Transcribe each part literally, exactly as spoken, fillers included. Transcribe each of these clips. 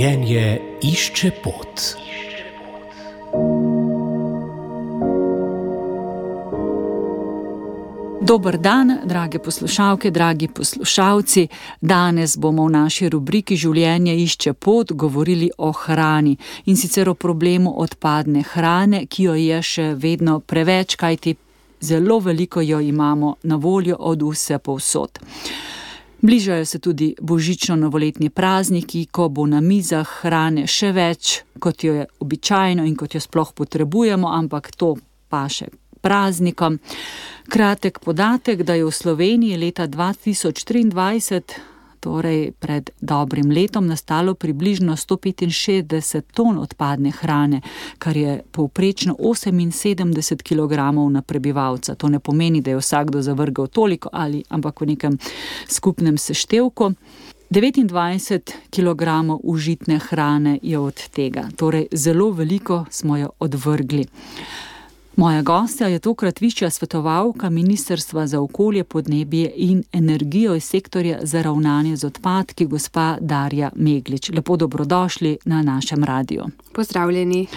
Življenje išče pot. Dober dan, drage poslušalke, dragi poslušalci. Danes bomo v naši rubriki Življenje išče pot govorili o hrani in sicer o problemu odpadne hrane, ki jo je še vedno preveč, kajti zelo veliko jo imamo na voljo od vse povsod. Bližajo se tudi božično-novoletni prazniki, ko bo na mizah hrane še več, kot jo je običajno in kot jo sploh potrebujemo, ampak to paše praznikom. Kratek podatek, da je v Sloveniji leta dva tisoč triindvajset, torej pred dobrim letom, nastalo približno sto petinšestdeset ton odpadne hrane, kar je povprečno oseminsedemdeset kilogramov na prebivalca. To ne pomeni, da je vsakdo zavrgel toliko, ali, ampak v nekem skupnem seštevku. devetindvajset kilogramov užitne hrane je od tega, torej zelo veliko smo jo odvrgli. Moja gostja je tokrat višja svetovalka Ministrstva za okolje, podnebje in energijo iz sektorja za ravnanje z odpadki, gospa Darja Meglič. Lepo dobrodošli na našem radiju. Pozdravljeni.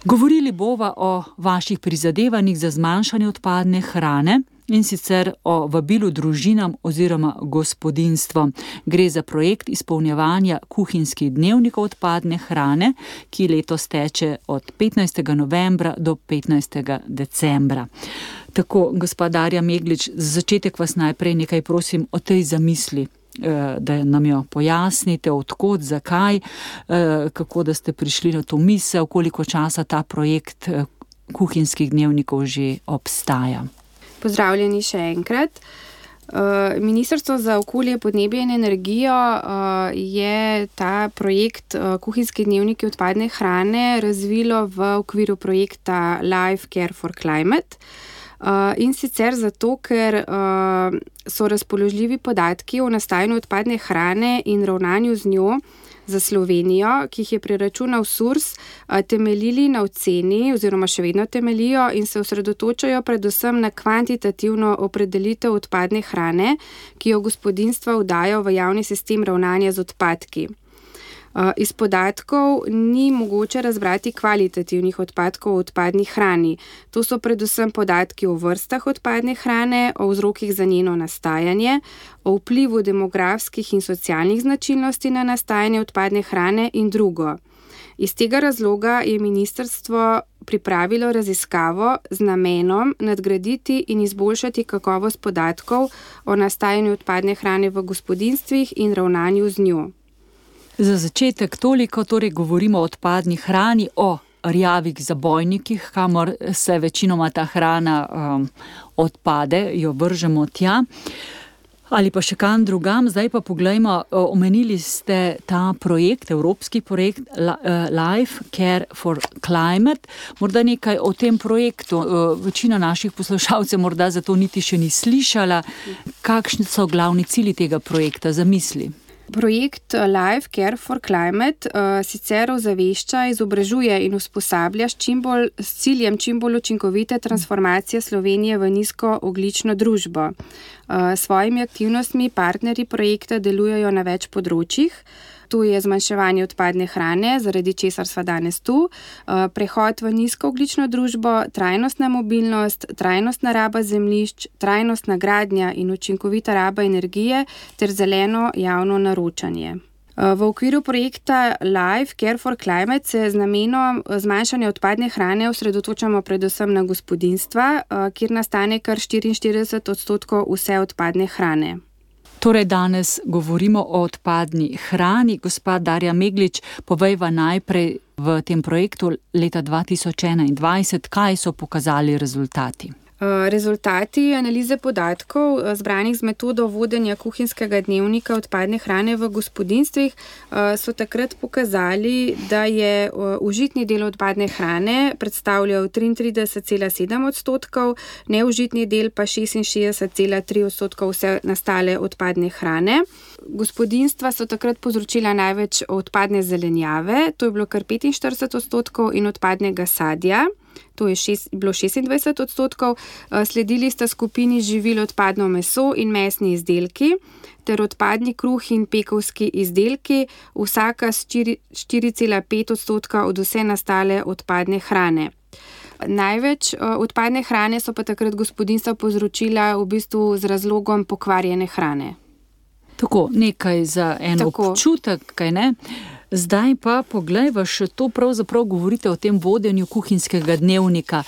Govorili bova o vaših prizadevanjih za zmanjšanje odpadne hrane in sicer o vabilu družinam oziroma gospodinjstvom. Gre za projekt izpolnjevanja kuhinjskih dnevnikov odpadne hrane, ki letos teče od petnajstega novembra do petnajstega decembra. Tako, gospa Darja Meglič, za začetek vas najprej nekaj prosim o tej zamisli, da nam jo pojasnite, od kod, zakaj, kako da ste prišli na to misel, koliko časa ta projekt kuhinjskih dnevnikov že obstaja. Pozdravljeni še enkrat. Ministrstvo za okolje, podnebje in energijo je ta projekt Kuhinjski dnevniki odpadne hrane razvilo v okviru projekta Life Care for Climate. In sicer zato, ker so razpoložljivi podatki o nastajanju odpadne hrane in ravnanju z njo za Slovenijo, ki jih je preračunal SURS, temeljili na oceni oziroma še vedno temeljijo in se osredotočajo predvsem na kvantitativno opredelitev odpadne hrane, ki jo gospodinjstva vdajo v javni sistem ravnanja z odpadki. Iz podatkov ni mogoče razbrati kvalitativnih odpadkov v odpadni hrani. To so predvsem podatki o vrstah odpadne hrane, o vzrokih za njeno nastajanje, o vplivu demografskih in socialnih značilnosti na nastajanje odpadne hrane in drugo. Iz tega razloga je ministrstvo pripravilo raziskavo z namenom nadgraditi in izboljšati kakovost podatkov o nastajanju odpadne hrane v gospodinjstvih in ravnanju z njo. Za začetek toliko, torej govorimo o odpadni hrani, o rjavih zabojnikih, kamor se večinoma ta hrana um, odpade, jo vržemo tja, ali pa še kam drugam. Zdaj pa poglejmo, omenili ste ta projekt, evropski projekt Life Care for Climate. Morda nekaj o tem projektu. Večina naših poslušalcev morda zato niti še ni slišala. Kakšni so glavni cilji tega projekta, zamisli? Projekt Life Care for Climate uh, sicer ozavešča, izobražuje in usposablja s, čim bolj, s ciljem čim bolj učinkovite transformacije Slovenije v nizkoogljično družbo. Uh, svojimi aktivnostmi partnerji projekta delujejo na več področjih. Tu je zmanjševanje odpadne hrane, zaradi česar sva danes tu, prehod v nizkoogljično družbo, trajnostna mobilnost, trajnostna raba zemljišč, trajnostna gradnja in učinkovita raba energije ter zeleno javno naročanje. V okviru projekta Life Care for Climate se z namenom zmanjšanja odpadne hrane osredotočamo predvsem na gospodinjstva, kjer nastane kar štiriinštirideset odstotkov vse odpadne hrane. Torej danes govorimo o odpadni hrani. Gospa Darja Meglič, povejva najprej v tem projektu leta dva tisoč enaindvajset, kaj so pokazali rezultati. Rezultati analize podatkov, zbranih z metodo vodenja kuhinjskega dnevnika odpadne hrane v gospodinjstvih, so takrat pokazali, da je užitni del odpadne hrane predstavljal triintrideset cela sedem odstotkov, neužitni del pa šestinšestdeset cela tri odstotkov vse nastale odpadne hrane. Gospodinjstva so takrat povzročila največ odpadne zelenjave, to je bilo kar petinštirideset odstotkov, in odpadnega sadja. to je šest, bilo šestindvajset odstotkov, sledili sta skupini živil odpadno meso in mesni izdelki, ter odpadni kruh in pekovski izdelki, vsaka s štiri cela pet odstotka od vse nastale odpadne hrane. Največ odpadne hrane so pa takrat gospodinjstva povzročila v bistvu z razlogom pokvarjene hrane. Tako, nekaj za en Tako. občutek, kaj ne? Zdaj pa poglejva, še to pravzaprav govorite o tem vodenju kuhinjskega dnevnika.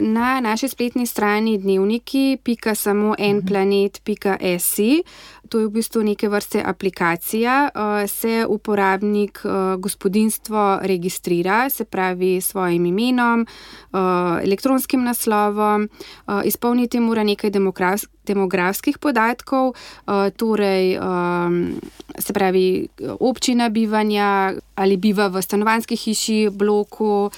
Na naši spletni strani dnevniki pika samo en planet pika si, to je v bistvu neke vrste aplikacija, se uporabnik gospodinjstvo registrira, se pravi s svojim imenom, elektronskim naslovom, izpolniti mora nekaj demografskih podatkov, torej se pravi občina bivanja ali biva v stanovanjski hiši, bloku,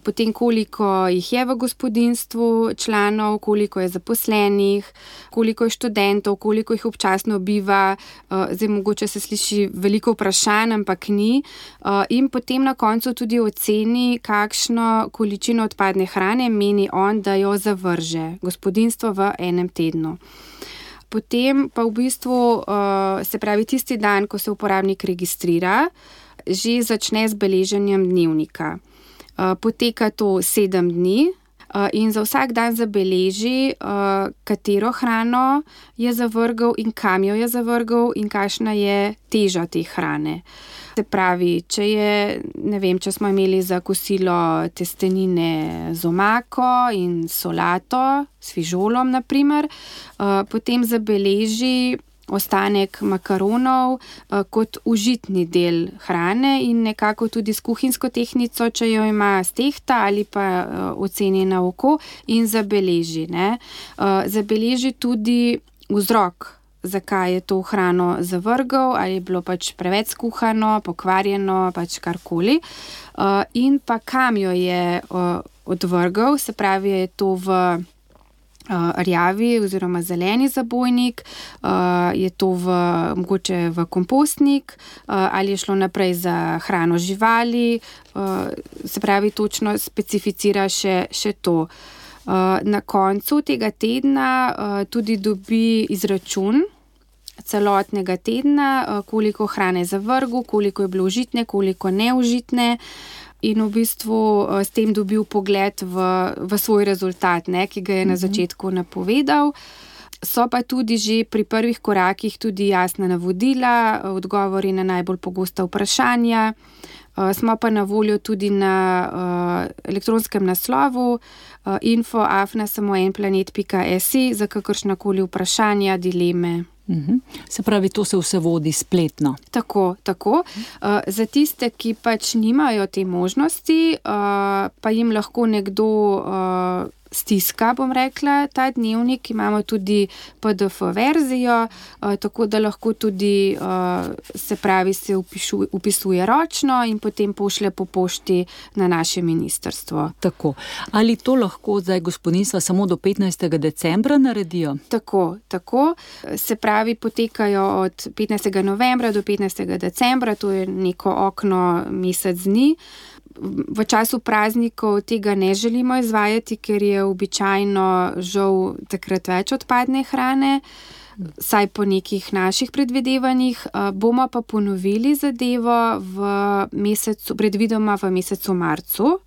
potem koliko jih je v gospodinjstvu članov, koliko je zaposlenih, koliko je študentov, koliko jih občasno biva, zdaj mogoče se sliši veliko vprašanj, ampak ni, in potem na koncu tudi oceni, kakšno količino odpadne hrane meni on, da jo zavrže gospodinjstvo v enem tednu. Potem pa v bistvu, se pravi tisti dan, ko se uporabnik registrira, že začne z beleženjem dnevnika. Poteka to sedem dni in za vsak dan zabeleži, katero hrano je zavrgel in kam jo je zavrgel in kakšna je teža te hrane. Se pravi, če je, ne vem, če smo imeli za kosilo testenine z omako in solato, s fižolom na primer, potem zabeleži ostanek makaronov kot užitni del hrane in nekako tudi s kuhinjsko tehtnico, če jo ima stehta ali pa oceni na oko in zabeleži. Ne. Zabeleži tudi vzrok, zakaj je to hrano zavrgel, ali je bilo pač preveč skuhano, pokvarjeno, pač karkoli. In pa kam jo je odvrgel, se pravi, je to v rjavi oziroma zeleni zabojnik, je to v, mogoče v kompostnik, ali je šlo naprej za hrano živali, se pravi, točno specificira še, še to. Na koncu tega tedna tudi dobi izračun celotnega tedna, koliko hrane je zavrgel, koliko je bilo užitne, koliko neužitne, in v bistvu s tem dobil pogled v, v svoj rezultat, ne, ki ga je na začetku napovedal. So pa tudi že pri prvih korakih tudi jasna navodila, odgovori na najbolj pogosta vprašanja. Smo pa na voljo tudi na elektronskem naslovu info afna samo en planet pika si za kakršnakoli vprašanja, dileme. Uhum. Se pravi, to se vse vodi spletno. Tako, tako. Uh, za tiste, ki pač nimajo te možnosti, uh, pa jim lahko nekdo uh, stiska, bom rekla, ta dnevnik. Imamo tudi pe de ef verzijo, uh, tako da lahko tudi, uh, se pravi, se upišu, upisuje ročno in potem pošlje po pošti na naše ministrstvo. Tako. Ali to lahko zdaj gospodinjstva samo do petnajstega decembra naredijo? Tako, tako. Se pravi, potekajo od petnajstega novembra do petnajstega decembra, to je neko okno mesec dni. V času praznikov tega ne želimo izvajati, ker je običajno žal takrat več odpadne hrane, saj po nekih naših predvidevanjih. Bomo pa ponovili zadevo v mesecu, predvidoma v mesecu marcu,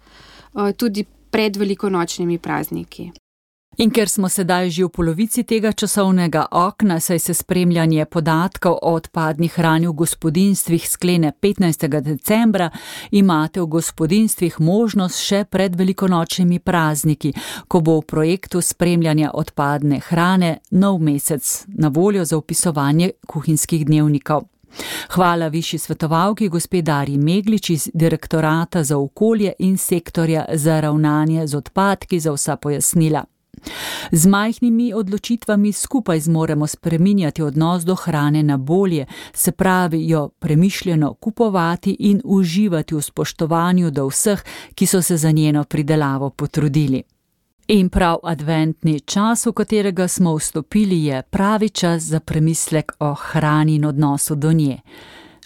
tudi pred velikonočnimi prazniki. In ker smo sedaj že v polovici tega časovnega okna, saj se spremljanje podatkov o odpadni hrani v gospodinjstvih sklene petnajstega decembra, imate v gospodinjstvih možnost še pred velikonočnimi prazniki, ko bo v projektu spremljanja odpadne hrane nov mesec na voljo za vpisovanje kuhinjskih dnevnikov. Hvala višji svetovalki gospe Darji Meglič iz Direktorata za okolje in sektorja za ravnanje z odpadki za vsa pojasnila. Z majhnimi odločitvami skupaj zmoremo spreminjati odnos do hrane na bolje, se pravi jo premišljeno kupovati in uživati v spoštovanju do vseh, ki so se za njeno pridelavo potrudili. In prav adventni čas, v katerega smo vstopili, je pravi čas za premislek o hrani in odnosu do nje.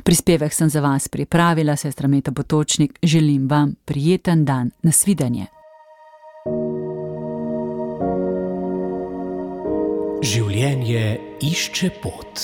Prispevek sem za vas pripravila, sestra Meta Potočnik, želim vam prijeten dan, nasvidenje. Življenje išče pot.